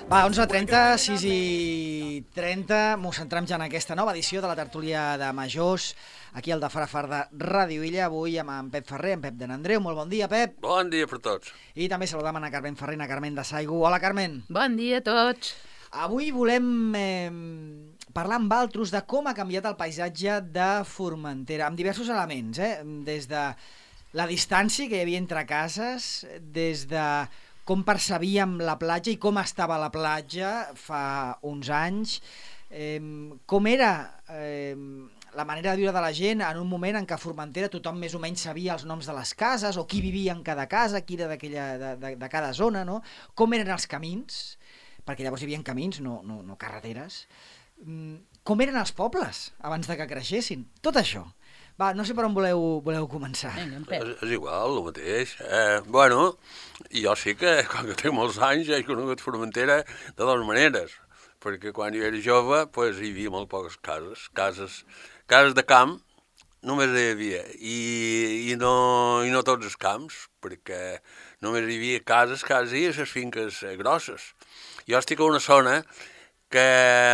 Va, 11:30, 6:30, mos centrem ja en aquesta nova edició de la tertúlia de Majors, aquí al de Farafar de Ràdio Illa, avui amb en Pep Ferrer, en Pep de Nandreu. Molt bon dia, Pep. Bon dia per tots. I també saludam a Carmen Ferrer, a Carmen de Saigu. Hola, Carmen. Bon dia a tots. Avui volem parlar amb altres de com ha canviat el paisatge de Formentera, amb diversos elements, des de la distància que hi havia entre cases, des de com percebíem la platja i com estava la platja fa uns anys, com era la manera de viure de la gent en un moment en què a Formentera tothom més o menys sabia els noms de les cases o qui vivia en cada casa, qui era de cada zona, no? Com eren els camins, perquè llavors hi havia camins, no carreteres, com eren els pobles abans de que creixessin, tot això. Va, no sé per on voleu començar. Vinga, en Pep. És igual, el mateix. Bueno, jo sí que, quan que tinc molts anys, he conegut Formentera de dues maneres, perquè quan jo era jove pues, hi havia molt poques cases de camp, només hi havia, i no tots els camps, perquè només hi havia cases quasi a les finques grosses. Jo estic a una zona que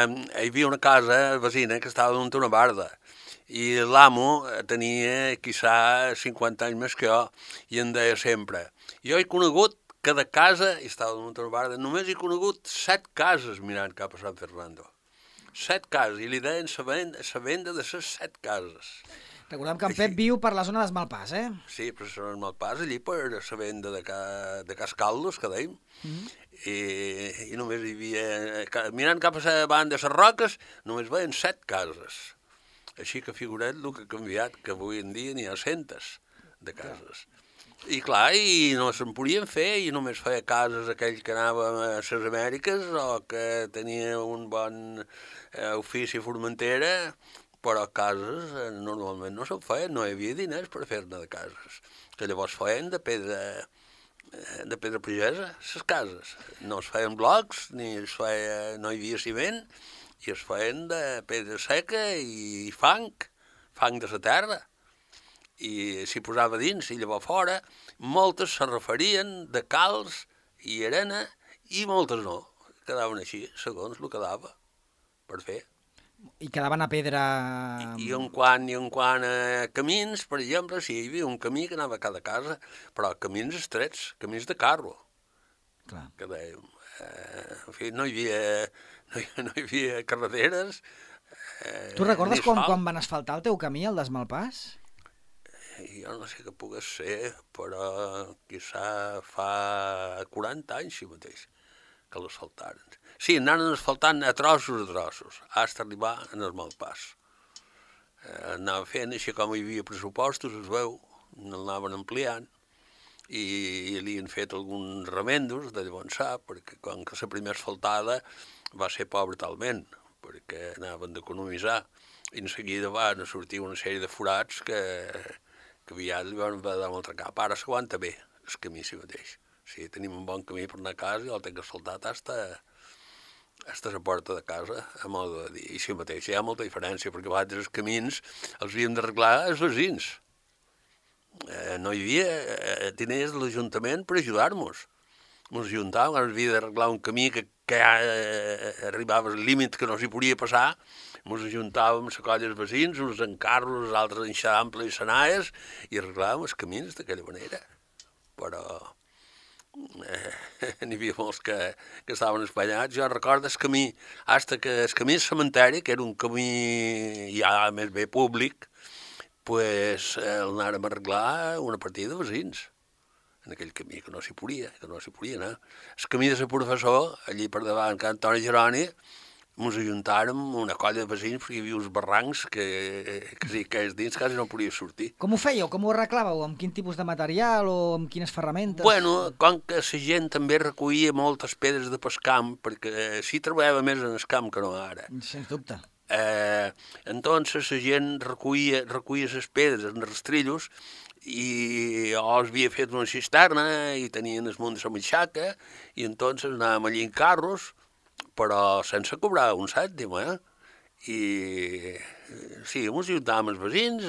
hi havia una casa vecina que estava damunt una barda, i l'amo tenia, quizà, 50 anys més que jo, i em deia sempre, jo he conegut cada casa, i estava damunt una barda, només he conegut 7 cases mirant cap a Sant Fernando. 7 cases, i li deien la venda de les 7 cases. Recordem que en Pep viu per la zona d'Esmalpàs, Sí, però la zona d'Esmalpàs, allí per la venda de Cas Caldos, que dèiem, i només hi havia, mirant cap a la banda de les Roques, només veien 7 cases. Així que figura't el que ha canviat, que avui en dia n'hi ha centes de cases. I clar, i no se'n podien fer, i només feia cases aquell que anava a les Amèriques o que tenia un bon ofici a Formentera, però cases normalment no se'n feien, no hi havia diners per fer-ne de cases, que llavors feien de pedra pagesa, les cases. No es feien blocs, no hi havia ciment, i es feien de pedra seca i fang de la terra. I s'hi posava dins i llavors fora, moltes se referien de calç i arena i moltes no. Quedaven així, segons el que dava per fer. I quedaven a pedra... I en quant a camins, per exemple, sí, hi havia un camí que anava a cada casa, però camins estrets, camins de carro. Clar. Que dèiem, en fi, no hi havia carreteres. Tu recordes quan van asfaltar el teu camí, el d'Esmalpàs? Jo no sé què pogués ser, però quizà fa 40 anys, sí mateix, que l'asfaltaren. Sí, anaven asfaltant a trossos, fins a arribar a Esmalpàs. Anava fent així com hi havia pressupostos, es veu, l'anaven ampliant, i li han fet alguns remendos de llavors, perquè com que la primera asfaltada va ser pobra talment, perquè anaven d'economitzar, i en seguida van sortir una sèrie de forats que aviat li van dar un altre cap. Ara s'aguanta bé el camí si mateix. Sí, tenim un bon camí per anar a casa i el tinc asfaltat fins a la porta de casa, a modo de dir. I si mateix hi ha molta diferència, perquè a vegades els camins els havíem d'arreglar els veïns. No hi havia diners de l'Ajuntament per ajudar-nos. Ens ajuntàvem, havia d'arreglar un camí que ja arribava al límit que no s'hi podia passar, ens ajuntàvem a la colla dels veïns, uns en carros, els altres en xample i senaes, i arreglàvem els camins d'aquella manera. Però n'hi havia molts que estaven espanyats. Jo recordo el camí, fins que el camí del cementeri, que era un camí ja més bé públic, pues l'anàrem a arreglar una partida de veïns en aquell camí, que no s'hi podia anar. El camí de la professor, allí per davant, que Antoni Geroni, ens ajuntàrem una colla de veïns perquè hi havia uns barrancs que si caés dins quasi no podia sortir. Com ho fèieu? Com ho arreglàveu? Amb quin tipus de material o amb quines ferramentes? Bueno, com que la gent també recollia moltes pedres de pescamp, perquè s'hi treballava més en el camp que no ara. Sens dubte. Entonces la gent recollia les pedres en rastrillos i o havia fet una cisterna i tenien el munt de la matxaca i entonces anàvem allí en carros, però sense cobrar un cèntim, I sí, ens ajudàvem els veïns,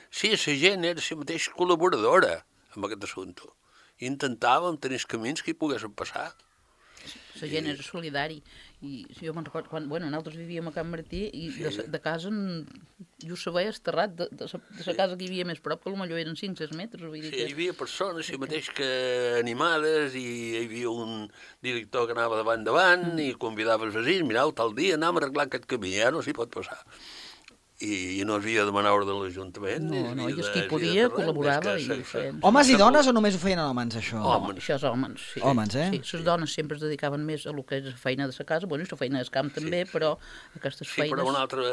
sí, la gent era la mateixa col·laboradora amb aquest assumpte. Intentàvem tenir els camins que hi poguessin passar. La gent era solidari. I jo me'n recordo, nosaltres vivíem a Can Martí i de casa jo se veia esterrat de la casa que hi havia més prop, que potser eren 5-6 metres. Vull dir sí, hi havia persones, si mateix que animades, i hi havia un director que anava davant i convidava els veïns, mireu, tal dia anem a arreglar aquest camí, no s'hi pot passar. I no havia de demanar ordre de l'Ajuntament. No, i els qui podia col·laborava i ho feien. Homes i dones o només ho feien homes, això? Homes. Això és homes, sí. Homes, eh? Sí, les dones sempre es dedicaven més a lo que és la feina de la casa, i la feina del camp també, però aquestes feines... Sí, però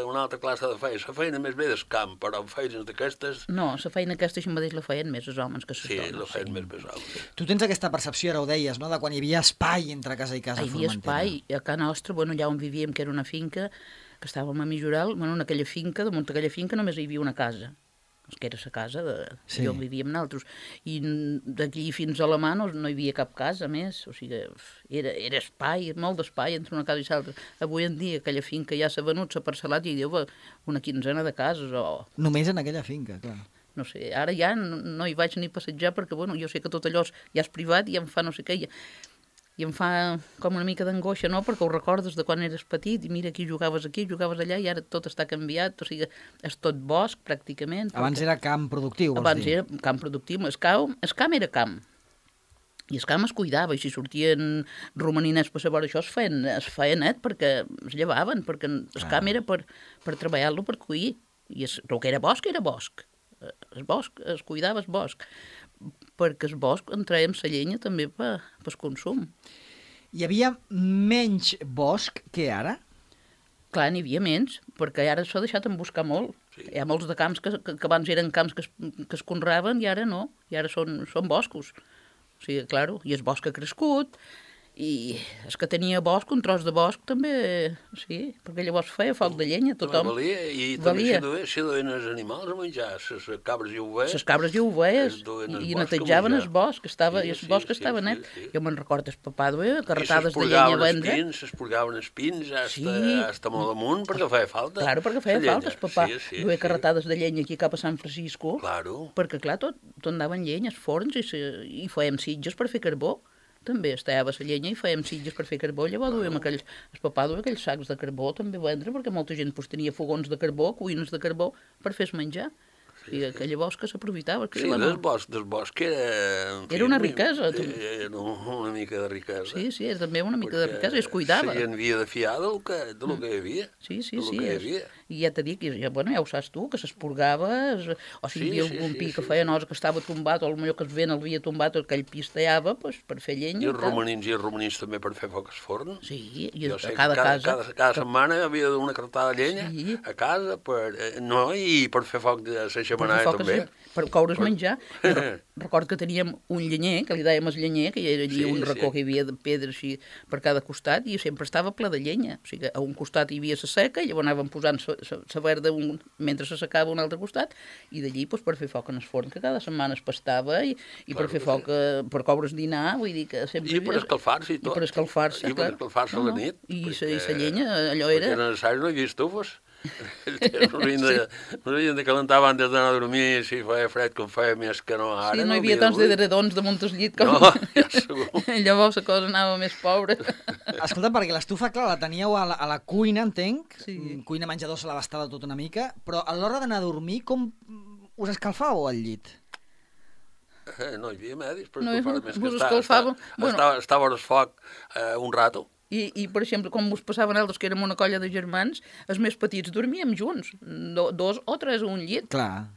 una altra classe de feina. La feina més bé del camp, però feines d'aquestes... No, la feina aquesta així mateix la feien més els homes que les dones. Sí, la feien més bé els homes. Tu tens aquesta percepció, ara ho deies, no?, de quan hi havia espai entre casa i casa a Formentera. Hi havia espai, a casa nostra, allà on vivíem, que era una finca, que estàvem a Mijoral, en aquella finca, damunt d'aquella finca només hi havia una casa, que era la casa on vivíem nosaltres, i d'aquí fins a la mà no hi havia cap casa més, o sigui, era espai, molt d'espai entre una casa i l'altra. Avui en dia aquella finca ja s'ha venut, s'ha parcel·lat i diu una quinzena de cases o... Només en aquella finca, clar. No sé, ara ja no hi vaig ni passejar perquè, jo sé que tot allò ja és privat i em fa no sé què, i em fa com una mica d'angoixa, no?, perquè ho recordes de quan eres petit i mira, aquí, jugaves allà, i ara tot està canviat, o sigui, és tot bosc, pràcticament. Abans era camp productiu, vols dir? Abans era camp productiu, el camp era camp, i el camp es cuidava, i si sortien romaninets per saber això, es feia net perquè es llevaven, perquè el camp era per treballar-lo, per cuir, i el que era bosc, el bosc, es cuidava el bosc, perquè el bosc en traiem la llenya també pel consum. Hi havia menys bosc que ara? Clar, n'hi havia menys, perquè ara s'ha deixat emboscar molt. Sí. Hi ha molts de camps que abans eren camps que es conreaven i ara no, i ara són boscos. O sigui, clar, i el bosc ha crescut, i és que tenia bosc, un tros de bosc també, sí, perquè llavors feia foc de llenya, tothom. Valia, i també s'hi duien els animals a menjar, les cabres i ovelles. Les cabres i ovelles, i netejaven el bosc, i el bosc estava net. Jo me'n recordo, el papà duia carretades de llenya a vendre. S'esporgaven els pins hasta molt amunt, perquè feia falta. Claro, perquè feia falta, el papà duia carretades de llenya aquí cap a Sant Francisco, perquè clar, tot anaven llenyes, forns, i fèiem sitges per fer carbó. També estava la llenya i fèiem sitges per fer carbó, llavors duíem el papà duia aquells sacs de carbó també a vendre, perquè molta gent tenia fogons de carbó, cuines de carbó, per fer menjar. I que llavors que s'aprofitava. Sí, del bosc era... Era una riquesa. Era una mica de riquesa. Sí, era també una mica de riquesa, i es cuidava. La gent havia de fiar del que hi havia. Sí. I ja t'he dit, ja ho saps tu, que s'esporgava, o si hi havia algun pi que feia nosa que estava tombat, o potser que el vent l'havia tombat, o aquell pi es tallava per fer llenya. I els romanins també per fer foc al forn. Sí, i a cada casa. Cada setmana hi havia una cartada de llenya a casa, i per fer foc de la xemeneia també. Per coure's menjar. Recordo que teníem un llenyer, que li dèiem el llenyer, que hi era allí un racó que hi havia de pedra així per cada costat, i sempre estava ple de llenya. O sigui, a un costat hi havia la seca, i llavors anàvem posant la verda mentre se secava a un altre costat, i d'allí per fer foc en el forn, que cada setmana es pastava, i per fer foc, per coure's dinar, vull dir que sempre... I per escalfar-se i tot. I per escalfar-se, clar. I per escalfar-se a la nit. I la llenya, allò era... Perquè era necessari, no hi havia estufes. No havien de calentar abans d'anar a dormir, si feia fred com feia més que no ara. Sí, no hi havia tants de dredons damunt el llit com... No, ja segur. Llavors la cosa anava més pobra. Escolta, perquè l'estufa, clar, la teníeu a la cuina, entenc, sí. Cuina menjador se l'abastava tot una mica, però a l'hora d'anar a dormir, com us escalfàveu al llit? No hi havia medis per escalfar-me més que estava al foc un rato. I, per exemple, com us passaven altres, que érem una colla de germans, els més petits dormíem junts, 2 o 3 a un llit. Clar.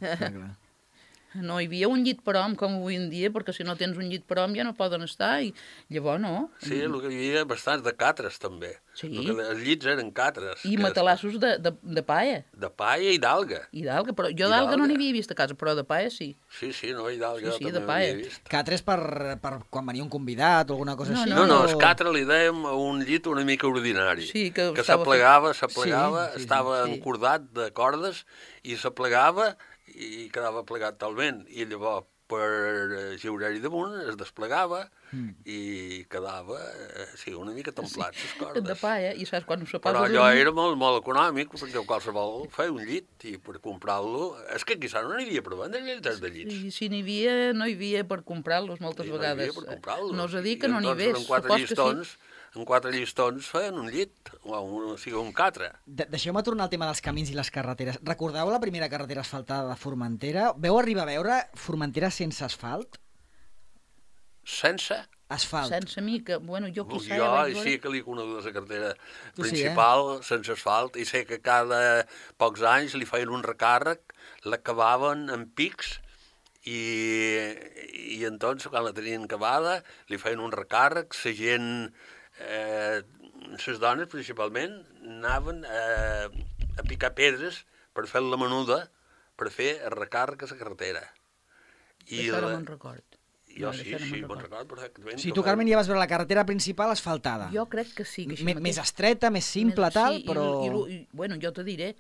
No hi havia un llit per hom, com avui en dia, perquè si no tens un llit per hom ja no poden estar, i llavors no. Sí, el que hi havia bastants de catres, també. Sí. Els llits eren catres. I matalassos de paia. De paia i d'alga. Però jo d'alga no n'hi havia vist a casa, però de paia sí. Sí, no, i d'alga també n'havia vist. Catres per quan venia un convidat o alguna cosa així? No, el catre li dèiem a un llit una mica ordinari. Sí, que s'aplegava, estava encordat de cordes, i s'aplegava i quedava plegat talment, i llavors per giurar-hi damunt es desplegava i quedava una mica templat les cordes. De paia, i saps quan se posa però allò era molt, molt econòmic, perquè qualsevol feia un llit, i per comprar-lo... És que quizà no n'hi havia per vendre llits de llits. Si n'hi havia, no hi havia per comprar-los moltes vegades. No hi havia per comprar-los. No us ha dit que no n'hi hagués. Eren 4 llistons en 4 llistons feien un llit, o sigui, un catre. Deixeu-me tornar al tema dels camins i les carreteres. Recordeu la primera carretera asfaltada de Formentera? Veu arribar a veure Formentera sense asfalt? Sense? Asfalt. Sense mi, que, bueno, jo quizà... Jo ja vaig sí que l'he conegut la carretera Tu sí, principal, sense asfalt, i sé que cada pocs anys li feien un recàrrec, l'acabaven en pics, i entonces, quan la tenien acabada, li feien un recàrrec, la gent, les dones principalment, anaven a picar pedres per fer la menuda, per fer el recàrrec a la carretera. Això no me'n record. Jo sí, me'n recordo perfectament. Sí, tu, Carmen, ja vas veure la carretera principal asfaltada. Jo crec que sí. Que Més estreta, més simple, tal, però... Bueno, jo te diré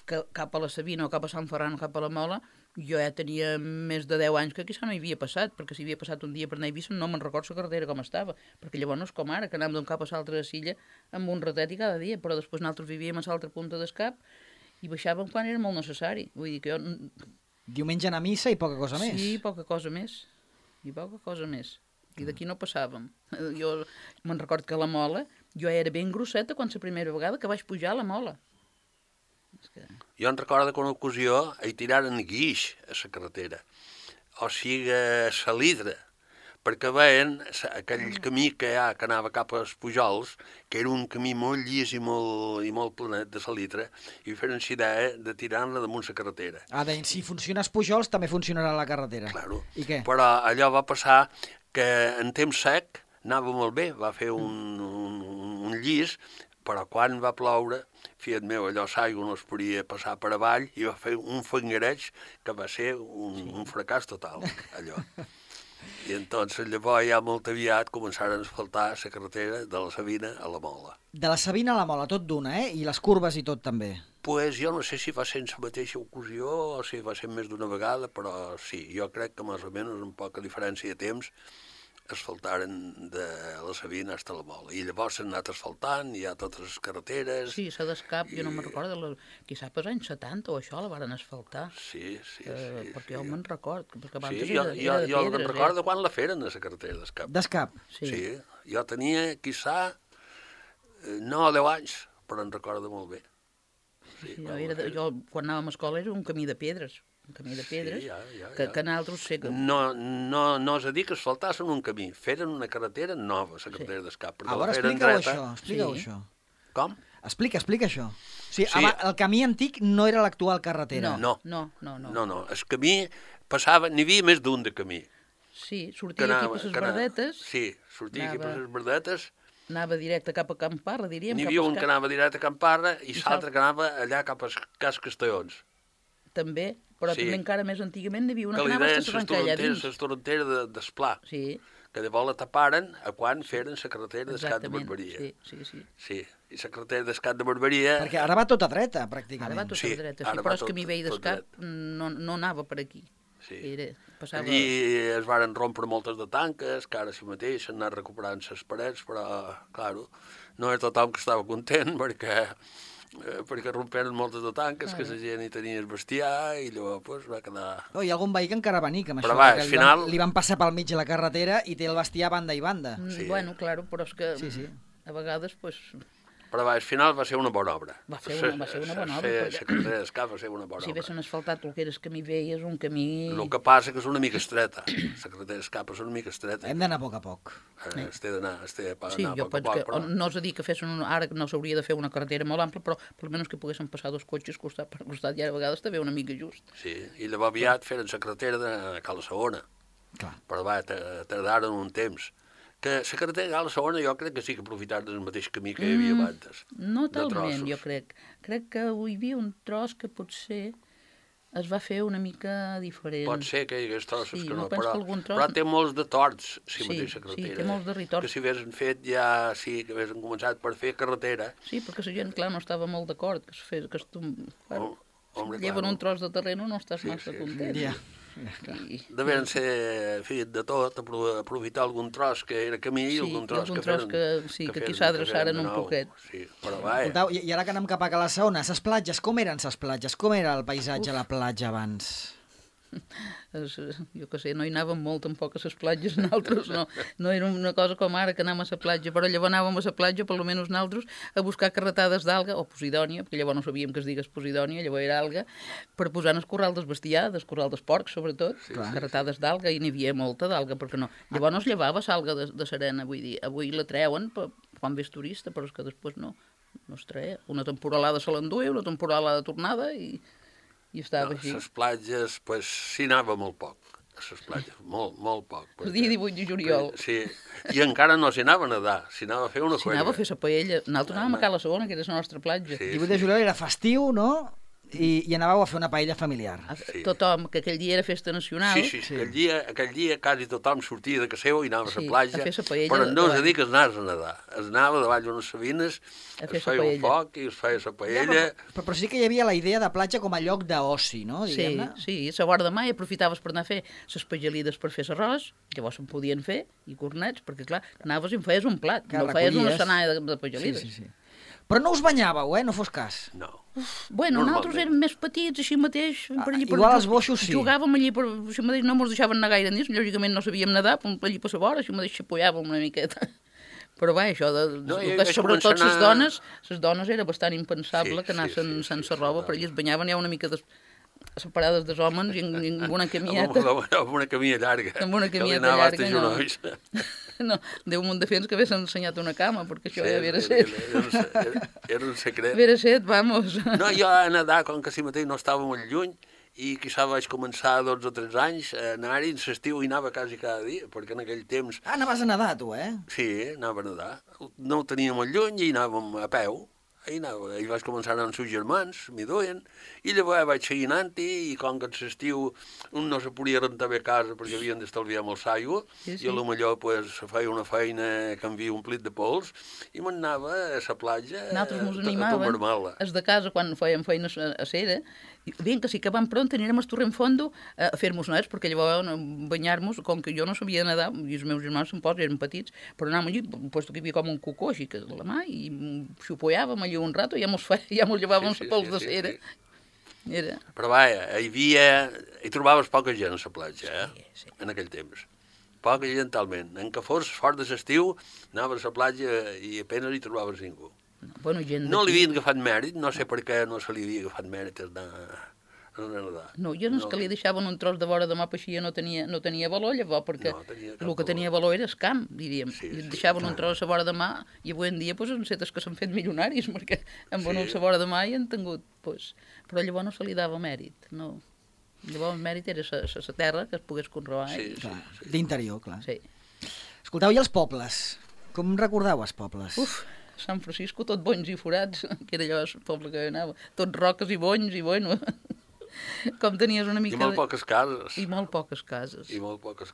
que cap a la Sabina o cap a Sant Ferran o cap a la Mola, jo ja tenia més de 10 anys que quizà no hi havia passat, perquè si havia passat un dia per anar a Eivissa no me'n recordo la carretera com estava, perquè llavors no és com ara, que anàvem d'un cap a l'altre de Silla amb un ratet i cada dia, però després nosaltres vivíem a l'altra punta d'escap i baixàvem quan era molt necessari. Vull dir que jo... Diumenge anar a missa i poca cosa més. Sí, poca cosa més. I poca cosa més. I d'aquí no passàvem. Jo me'n record que a la Mola jo era ben grosseta quan la primera vegada que vaig pujar a la Mola. Jo em recordo que una ocasió hi tiraren guix a la carretera, o sigui, salidra, perquè veien aquell camí que hi ha, que anava cap als Pujols, que era un camí molt llis i molt planet de salidra, i feren la idea de tirar-la damunt la carretera. Deien, si funciona els Pujols, també funcionarà la carretera. Claro. I què? Però allò va passar que en temps sec anava molt bé, va fer un llis, però quan va ploure, fiat meu, allò l'aigua no es podia passar per avall, i va fer un fangareig que va ser un fracàs total, allò. I entonces llavors ja molt aviat començaren a asfaltar la carretera de la Sabina a la Mola. De la Sabina a la Mola, tot d'una, I les curves i tot també. Pues jo no sé si va ser en la mateixa ocasió o si va ser més d'una vegada, però sí, jo crec que més o menys amb poca diferència de temps asfaltaren de la Sabina fins a la Mola. I llavors s'han anat asfaltant, hi ha totes les carreteres... Sí, s'ha d'escap, jo no me'n recordo, quizà per anys 70 o això la varen asfaltar. Sí. Perquè jo me'n record, perquè abans sí, era de pedres. Jo me'n recordo quan la feren a la carretera d'escap. D'escap? Sí, jo tenia, quizà, 9 o 10 anys, però en recordo molt bé. Sí, jo quan anàvem a escola era un camí de pedres. Un camí de pedres, que nosaltres sé que... No és a dir que asfaltassin un camí, feren una carretera nova, la carretera d'escap. A veure, explica-ho això. Com? Explica això. O sigui, el camí antic no era l'actual carretera. No. El camí passava, n'hi havia més d'un de camí. Sí, sortia aquí per les verdetes. Sí, sortia aquí per les verdetes. Anava directe cap a Camparra, diríem. N'hi havia un que anava directe a Camparra i l'altre que anava allà cap a Cas Castellons. També, però també encara més antigament n'hi havia una que anava a Sarranca allà dins. La torrentera d'Esplà, que llavors la taparen a quan feren la carretera d'Escat de Barberia. Sí, i la carretera d'Escat de Barberia... Perquè ara va tota dreta, pràcticament. Ara va tota dreta, sí, però el camí vell d'Escat no anava per aquí. Allí es varen rompre moltes de tanques, que ara si mateix s'han anat recuperant les parets, però, clar, no era tothom que estava content, perquè romperen moltes de tanques, que la gent hi tenia el bestiar, i llavors va quedar... Hi ha algun veí que encara va nic amb això, al final... li van passar pel mig de la carretera i té el bestiar banda i banda. Bueno, claro, però és que a vegades, pues... Però al final va ser una bona obra. Va ser una bona obra. La carretera d'escap va ser una bona obra. Si haguessin asfaltat el que era el camí vell, és un camí... El que passa que és una mica estreta. La carretera d'escap és una mica estreta. Hem d'anar a poc a poc. Es té d'anar a poc a poc. Sí, jo penso que no és a dir que fessin ara que no s'hauria de fer una carretera molt ampla, però almenys que poguessin passar 2 cotxes costat per costat, i a vegades també una mica just. Sí, i llavors aviat feren la carretera de Cala Segona. Però tardaren un temps. Que la carretera de la Segona jo crec que sí que aprofitaran del mateix camí que hi havia abans. No talment, jo crec. Crec que hi havia un tros que potser es va fer una mica diferent. Pot ser que hi hagués trossos que no, però té molts de torts, mateixa carretera. Sí, té molts de ritorts. Que si haguessin fet ja, que haguessin començat per fer carretera... Sí, perquè la gent, clar, no estava molt d'acord que es fes... Lleven un tros de terreno, no estàs massa content. Devien ser, en fi, de tot, aprofitar algun tros que era camí i algun tros que feren... Sí, que aquí s'adreçaren un poquet. Sí, però vaja. I ara que anem cap a Cala Segona, les platges, com eren les platges? Com era el paisatge a la platja abans? jo què sé, no hi anàvem molt tampoc a les platges nosaltres, no era una cosa com ara que anàvem a la platja, però llavors anàvem a la platja, per almenys nosaltres, a buscar carretades d'alga, o posidònia, perquè llavors no sabíem que es digués posidònia, llavors era alga, per posar en el corral del bestiar, del corral dels porcs, sobretot, carretades d'alga, i n'hi havia molta d'alga, perquè no. Llavors no es llevava l'alga de serena, vull dir, avui la treuen quan ves turista, però és que després no es treia. Una temporalada se l'enduia, una temporalada tornada, i estava així. A les platges, doncs, s'hi anava molt poc. A les platges, molt poc. El dia 18 de juliol. Sí, i encara no s'hi anava a nedar, s'hi anava a fer una colla. S'hi anava a fer la paella. Nosaltres anàvem a Cala Segona, que era la nostra platja. El 18 de juliol era festiu, no? I anàveu a fer una paella familiar. Tothom, que aquell dia era festa nacional. Sí. Aquell dia quasi tothom sortia de casa seva i anava a la platja, a fer la paella, però no és a dir que es anaves a nedar. Es anava davall d'unes sabines, es feia un foc i es feia la paella. Però sí que hi havia la idea de platja com a lloc d'oci, no? Sí, a la vora de mai aprofitaves per anar a fer les pagelides per fer l'arròs, llavors se'n podien fer, i cornets, perquè clar, anaves i em feies un plat, no feies una senalla de pagelides. Sí. Però no us banyàveu, no fos cas. No. Bueno, nosaltres érem més petits, així mateix. Igual els boixos sí. Jugàvem allí, així mateix no ens deixaven anar gaire nits, lògicament no sabíem nedar, allí per la vora, així mateix xapolàvem una miqueta. Però va, això, sobretot les dones era bastant impensable que anessin sense roba, per allí es banyaven ja una mica separades dels homes i amb una camieta. Amb una camilla llarga. Amb una camieta llarga, no, Déu m'ho defens que hagués ensenyat una cama, perquè això ja havia set. Era un secret. Havia set, vamos. No, jo a nedar, com que si mateix no estava molt lluny, i quizà vaig començar 12 o 13 anys a anar-hi, en l'estiu hi anava quasi cada dia, perquè en aquell temps... anaves a nedar, tu, Sí, anava a nedar. No ho tenia molt lluny i anàvem a peu. I vaig començar amb els seus germans, m'hi duien, i llavors vaig seguir anant-hi, i com que en l'estiu un no se podia rentar bé a casa perquè havien d'estalviar molt l'aigua, i potser feia una feina que havia omplit de pols, i m'anava a la platja a tombar-me-la. Els de casa, quan fèiem feines a cera, bien, que sí que van pront anirem al torrent fondo a fer-nos nets, perquè llavors banyar-nos, com que jo no sabia nedar, i els meus germans eren petits, però anàvem allí, puesto que hi havia com un cocó així que a la mà, i xupolàvem allí un rato, ja mos llevàvem la pols de cera. Però vaja, hi trobaves poca gent a la platja, en aquell temps. Poca gent talment. En que fos fort de l'estiu, anaves a la platja i apenas hi trobaves ningú. No li havien agafat mèrit, no sé per què no se li havia agafat mèrit a nedar. No, jo no és que li deixaven un tros de vora de mà, així no tenia valor, llavors, perquè el que tenia valor era el camp, diríem. I deixaven un tros a vora de mà, i avui en dia han set que s'han fet milionaris, perquè han venut a vora de mà i han tingut... Però llavors no se li dava mèrit, no. Llavors el mèrit era la terra que es pogués conrear. D'interior, clar. Sí. Escolteu, i els pobles? Com recordeu els pobles? Sant Francisco, tot bonys i forats, que era allò el poble que anava, tot roques i bonys, i bueno, com tenies una mica... I molt poques cases. I molt poques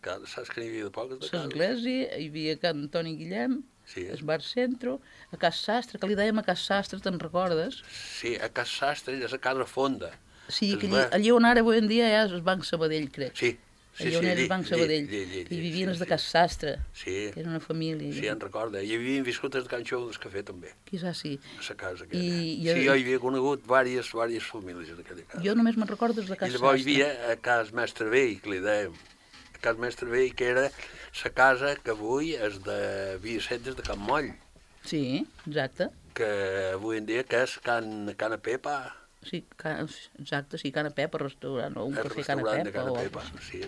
cases. Saps que n'hi havia de poques de cases? L'església, hi havia Can Antoni Guillem, el bar Centro, a Cas Sastre, que li dèiem a Cas Sastre, te'n recordes? Sí, a Cas Sastre és a Casa Fonda. Sí, allí on ara avui en dia ja és el Banc Sabadell, crec. Sí. Allà on era el Banc Sabadell, i vivien els de Cas Sastre, que era una família. Sí, en recorda. Hi havien viscut els de Can Xou del Cafè, també. Quizà sí. A la casa aquella. Sí, jo hi havia conegut diverses famílies en aquella casa. Jo només me'n recordo de Cas Sastre. I llavors hi havia a Cas Mestre Vell, que li dèiem. A Cas Mestre Vell, que era la casa que avui és de Vicenç de Can Moll. Sí, exacte. Que avui en dia que és Can Pepa. Sí, exacte, sí, Cana Pepa, restaurant, o un cafè Cana Pepa. Sí.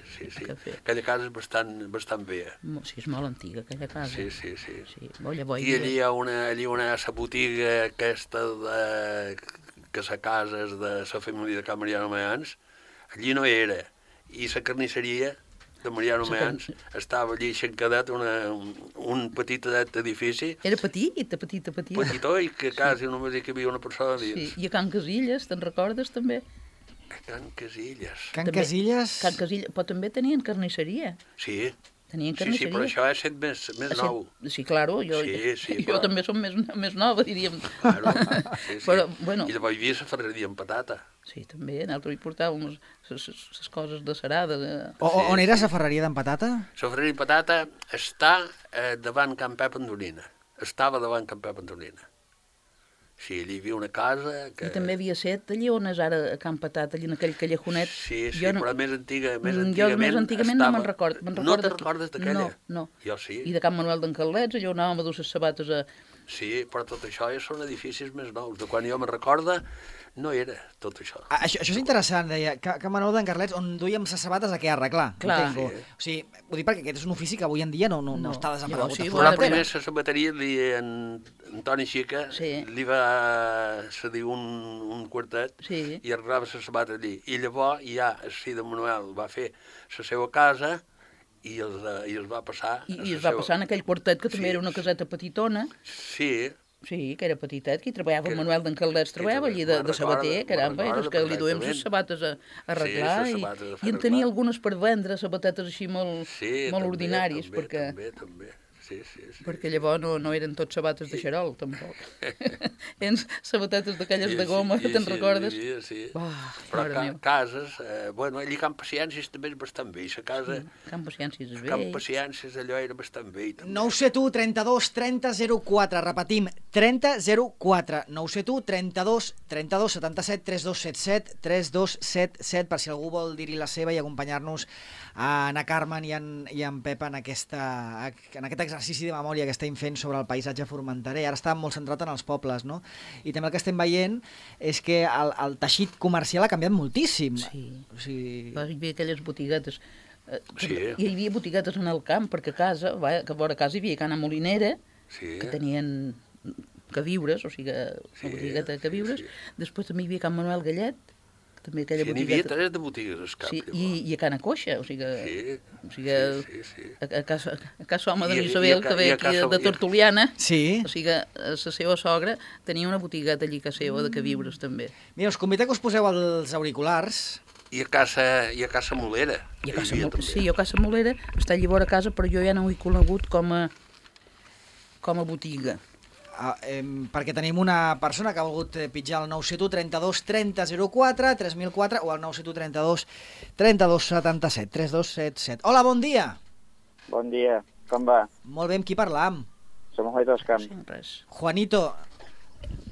Aquella casa és bastant bé. Sí, és molt antiga, aquella casa. Sí. I allí hi ha la botiga aquesta que la casa és de la família de Can Mariano Mayans, allí no hi era. I la carnisseria de Mariano Mayans estava allí xencadat un petit edifici. Era petit. Petitó, i que quasi només hi havia una persona dins. Sí, i a Can Casillas, te'n recordes també? A Can Casillas. Can Casillas, però també tenien carnisseria. Sí. Tenien carnisseria. Sí, però això ha estat més nou. Sí, claro, jo també som més nova, diríem. Claro, sí. Però, bueno... I llavors hi havia la ferreria amb patata. Sí, també, nosaltres hi portàvem les coses de cerada. On era la ferreria d'en Patata? La ferreria d'en Patata està davant Can Pep Andorina. Estava davant Can Pep Andorina. Sí, allí hi havia una casa que... I també havia set allí on és ara a Can Patat, allí en aquell callejonet. Sí, Jo però més antigament jo més antigament no me'n record. No te'n recordes d'aquella? No. Jo sí. I de Can Manuel d'en Carlets, allò anàvem a dur les sabates a... Sí, però tot això ja són edificis més nous. De quan jo me'n recorda, no era tot això. Això és interessant, deia, que Manuel d'en Carlets, on duíem les sabates a què arreglar. Clar. Sí. O sigui, ho dic perquè aquest és un ofici que avui en dia no està desaparegut. Sí, Però primer la sabateria, en Antoni Xica, li va cedir un quartet i arreglava la sabata allí. I llavors ja el fill de Manuel va fer la seva casa i els va passar... I es va passar en aquell quartet, que també era una caseta petitona. Sí. Sí, que era petitet, que hi treballava el Manuel d'en Caldets, treballava allí de sabater, caramba, i que li duem les sabates a arreglar, i en tenia algunes per vendre, sabatetes així molt ordinaris, perquè... També. Sí. Perquè llavors no eren tots sabates de xarol, tampoc. Eren sabatetes d'aquelles de goma, te'n recordes? Sí. Però cases, bueno, allí Camp Paciències també és bastant bé, la casa... Camp Paciències és bé. Camp Paciències allò era bastant bé. 971 32 30 04, repetim, 30 04, 971 32 32 77 3277 3277, per si algú vol dir-hi la seva i acompanyar-nos a Ana Carmen i en Pep en aquest exercici de memòria que estem fent sobre el paisatge formenterer. Ara està molt centrat en els pobles, no? I també el que estem veient és que el teixit comercial ha canviat moltíssim. Sí. O sigui... Hi havia aquelles botiguetes. Sí. Hi havia botiguetes en el camp, perquè a casa, que a vora casa hi havia Cana Molinera, que tenien queviures, o sigui, una botigueta de queviures. Després també hi havia Can Manuel Gallet, també aquella botigueta. N'hi havia 3 de botigues al cap. Sí, i a Cana Coixa, o sigui, a casa home de l'Isabel, que ve aquí de Tortoliana, o sigui, la seva sogra tenia una botigueta allí que seva de queviures també. Mira, us convido que us poseu els auriculars. I a Casa Molera. Sí, a Casa Molera està allí vora casa, però jo ja no ho he conegut com a botiga. Perquè tenim una persona que ha volgut pitjar el 971 32 30 04 3004 o el 971 32 32 77 3277. Hola, bon dia. Bon dia, com va? Molt bé, amb qui parlam? Som Juanito Escamp. Juanito.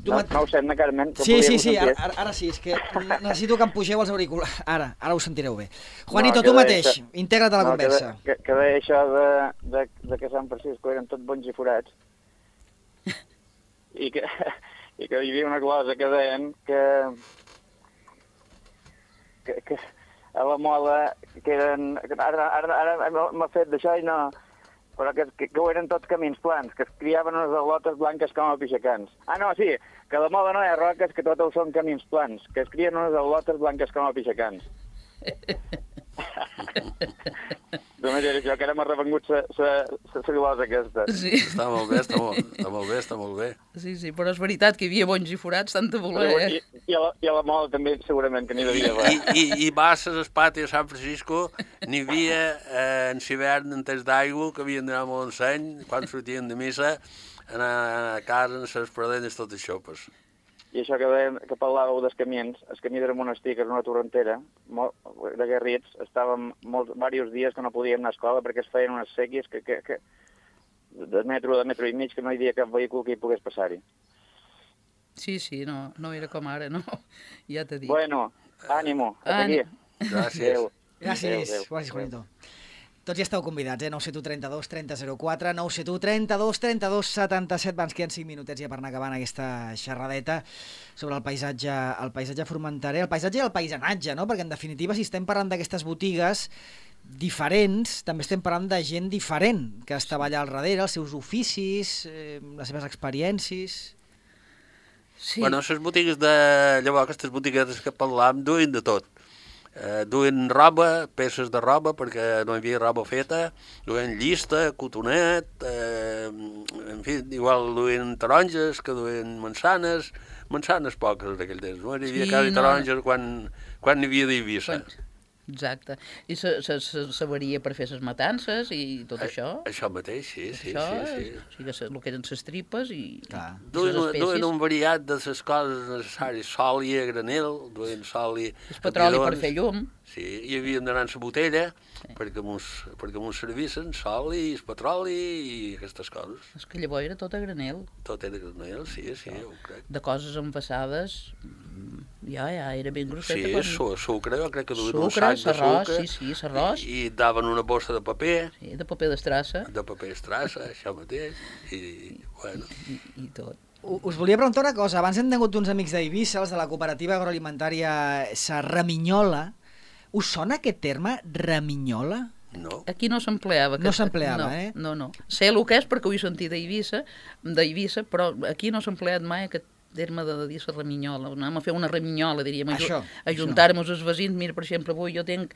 No ho sent, Carmen? Sí, ara sí, és que necessito que em pugeu els auriculars. Ara ho sentireu bé. Juanito, tu mateix, integra't a la conversa. Que deia això de que Sant Francisco eren tots bons i forats. I que hi havia una cosa que deien que a la moda que eren... Ara m'ha fet d'això i no... Però que ho eren tots camins plans, que es criaven unes al·lotes blanques com a pixacans. Ah, no, sí, que la moda no hi ha roques, que tots són camins plans, que es crien unes al·lotes blanques com a pixacans. Només era això, que ara m'ha revengut la glosa aquesta. Sí. Està molt bé. Sí, però és veritat que hi havia bons i forats, tant de voler, I a la moda també segurament que n'hi devia haver. I vas a l'espati a San Francisco, n'hi havia en l'hivern en temps d'aigua, que havien d'anar a Montseny, quan sortien de missa, anar a casa en les pradenes totes xopes. I això que parlàveu dels camins, el camí del monestir, que és una torrentera, de Garrits, estàvem diversos dies que no podíem anar a escola perquè es feien unes sèquies de metro i mig que no hi havia cap vehicle que hi pogués passar-hi. Sí, no era com ara, no? Ja t'he dit. Bueno, ànimo, a seguir. Gràcies. Gràcies, Juanito. Tots ja esteu convidats, 971 32 30 04, 971 32 32 77, ens queden 5 minutets ja per anar acabant aquesta xerradeta sobre el paisatge formenterer, el paisatge i el paisatge, no? Perquè en definitiva, si estem parlant d'aquestes botigues diferents, també estem parlant de gent diferent que estava allà al darrere, els seus oficis, les seves experiències... Sí. Bueno, les botigues llavors, aquestes botiguetes que parlàvem, duien de tot. Duien roba, peces de roba, perquè no hi havia roba feta, duien llista, cotonet, en fi, igual duien taronges, que duien mansanes poques d'aquell temps, no? Hi havia quasi taronges quan n'hi havia d'Eivissa. Exacte. I s'avaria per fer les matances i tot això. Això mateix, sí. O sigui, el que eren les tripes i Duen un variat de les coses necessàries, soli a granel, duen soli... El petroli per fer llum. Sí, hi havíem d'anar a la botella perquè mos servissin sol i el petroli i aquestes coses. És que llavors era tot a granel. Tot era granel, sí, ho crec. De coses envasades, ja era ben grosseta. Sí, sucre, jo crec que duien un sac de sucre. Sí, l'arròs. I daven una bossa de paper. Sí, de paper d'estrassa. De paper d'estrassa, això mateix. I bueno. I tot. Us volia preguntar una cosa. Abans hem tingut uns amics d'Eivissa, els de la cooperativa agroalimentària Sa Raminyola. Us sona aquest terme, raminyola? No. Aquí no s'empleava. No s'empleava, No. Sé el que és perquè ho he sentit d'Eivissa, però aquí no s'ha empleat mai aquest terme de dir la raminyola. Anem a fer una raminyola, diríem. Ajuntar-nos els veïns. Mira, per exemple, avui jo tinc...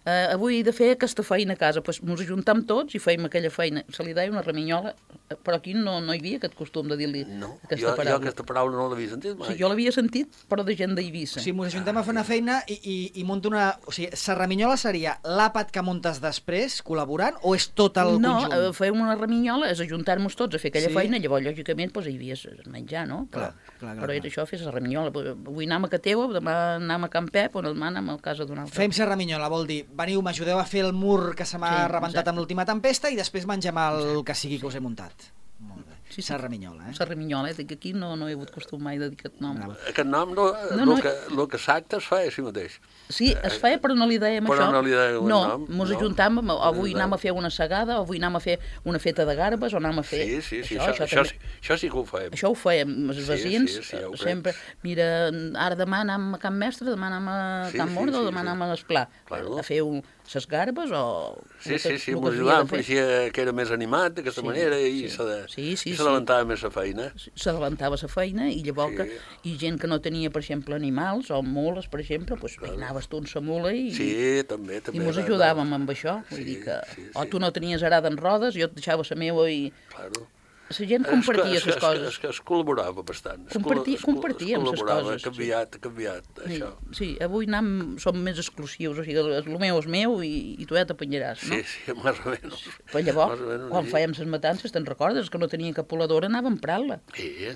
avui he de fer aquesta feina a casa, doncs ens ajuntam tots i feim aquella feina. Se li deia una raminyola, però aquí no hi havia aquest costum de dir-li aquesta paraula. Jo aquesta paraula no l'havia sentit mai. Sí, jo l'havia sentit, però de gent d'Eivissa. Si ens ajuntem a fer una feina i munto una... O sigui, la raminyola seria l'àpat que muntes després, col·laborant, o és tot el conjunt? No, fèiem una raminyola, és ajuntar-nos tots a fer aquella feina, llavors, lògicament, hi havia menjar, no? Clar. Però era això, fer la raminyola. Avui anem a Cateu, demà anem a Can Pep, o demà anem a casa d'un altre. Fem la raminyola, vol dir, veniu, m'ajudeu a fer el mur que se m'ha rebentat amb l'última tempesta i després mengem el que sigui que us he muntat. Molt bé. Sí. La raminyola, La raminyola, que aquí no he hagut costum mai de dir aquest nom. Aquest nom, el que s'acta es fa així mateix. Sí, es feia, però no li dèiem això. Però no li dèiem el nom. No, ens ajuntàvem, avui anem a fer una segada, avui anem a fer una feta de garbes, o anem a fer... Sí, això sí que ho fèiem. Això ho fèiem, els veïns, sempre, mira, ara demà anem a Can Mestre, demà anem a Can Morda, o demà anem a l'Esplà, a fer ses garbes o... Sí, m'ho ajudàvem, pareixia que era més animat d'aquesta manera i s'adavantava més la feina. S'adavantava la feina i llavors i gent que no tenia, per exemple, animals o mules, per exemple, doncs anaves tu amb la mula i... Sí, també. I mos ajudàvem amb això, vull dir que... O tu no tenies arada en rodes, jo et deixava la meva i... Claro. La gent compartia les coses. Es col·laborava bastant. Compartíem les coses. Ha canviat, això. Sí, avui som més exclusius, o sigui, el meu és meu i tu ja t'apanyaràs, no? Sí, més o menys. Però llavors, quan fèiem les matances, te'n recordes que no tenia capoladora, anàvem emprant-la.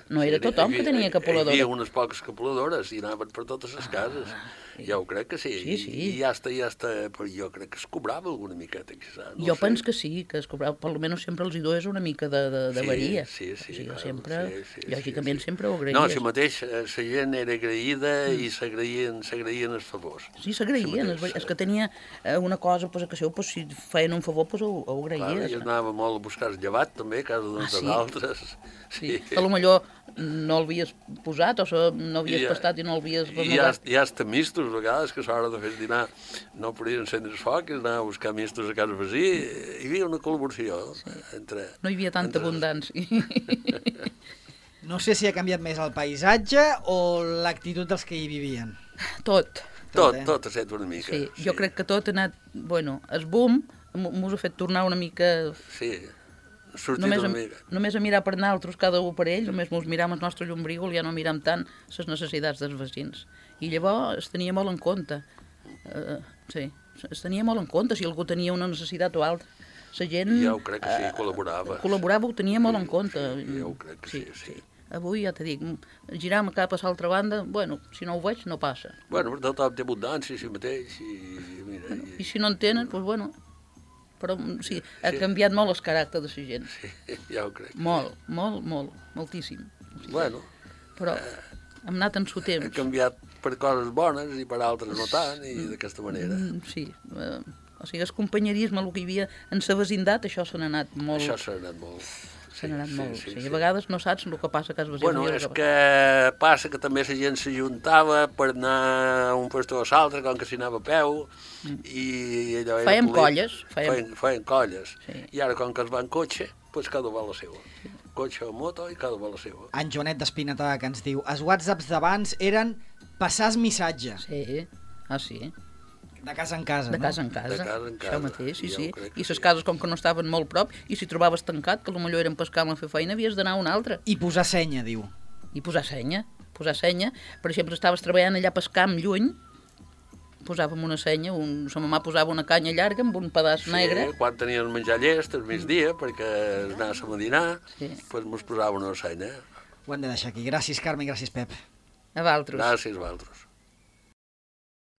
No era tothom que tenia capoladora. Hi havia unes poques capoladores i anaven per totes les cases. Ja ho crec que sí. I ja està, però jo crec que es cobrava alguna miqueta, quizà. Jo penso que sí, que es cobrava, per almenys sempre els hi dues una mica de varia. Sí, o sigui, sempre, lògicament sempre ho agraïes. No, si mateix la gent era agraïda i s'agraïen els favors. Sí, s'agraïen, és que tenia una cosa, pues, que si feien un favor, pues, ho agraïes. Clar, i anava molt a buscar el llevat també, a casa d'uns d'altres. Sí. Que potser no l'havies posat o no havies pastat i no l'havies renovat. I hasta mistos, a vegades, que a l'hora de fer dinar no podien encendre el foc, anar a buscar mistos a casa vecí. Hi havia una col·laboració entre... No hi havia tanta abundància. No sé si ha canviat més el paisatge o l'actitud dels que hi vivien. Tot ha set una mica. Sí, jo crec que tot ha anat... Bueno, el boom m'ho ha fet tornar una mica... Sí, només a mirar per nosaltres, cada un per ell, només ens miram el nostre llombrígol, ja no miram tant les necessitats dels veïns. I llavors es tenia molt en compte. Es tenia molt en compte si algú tenia una necessitat o altra. La gent... Ja ho crec que sí, col·laborava. Col·laborava, ho tenia molt en compte. Ja ho crec que sí. Avui, ja t'he dit, giram cap a l'altra banda, bueno, si no ho veig, no passa. Bueno, però tothom té abundància, si mateix, i si no en tenen, doncs bueno... Però sí, ha canviat molt el caràcter de la gent. Sí, ja ho crec. Moltíssim. Bueno. Però hem anat en su temps. Ha canviat per coses bones i per altres no tant, i d'aquesta manera. Sí, o sigui, el companyerisme, el que hi havia en la vecindat, això se n'ha anat molt. Això se n'ha anat molt. Se n'ha anat molt. A vegades no saps el que passa a casa vecí. Bueno, és que passa que també la gent s'ajuntava per anar a un lloc o a l'altre, com que s'hi anava a peu, i allò era... Fèiem colles. Feien colles. I ara, com que es va en cotxe, doncs cada va la seva. Cotxe o moto i cada va la seva. En Joanet d'Espinata que ens diu: els whatsapps d'abans eren passar el missatge. Sí, sí. De casa en casa, no? De casa en casa, això mateix, sí. I les cases, com que no estaven molt prop, i si trobaves tancat, que potser eren per camp a fer feina, havies d'anar a una altra. I posar senya, diu. I posar senya. Per exemple, estaves treballant allà pel camp lluny, posàvem una senya, sa mamà posava una canya llarga amb un pedaç negre. Sí, quan tenien menjar llest al migdia perquè anàssim a dinar, doncs mos posava una senya. Ho hem de deixar aquí. Gràcies, Carme, gràcies, Pep. A vosaltres. Gràcies a vosaltres.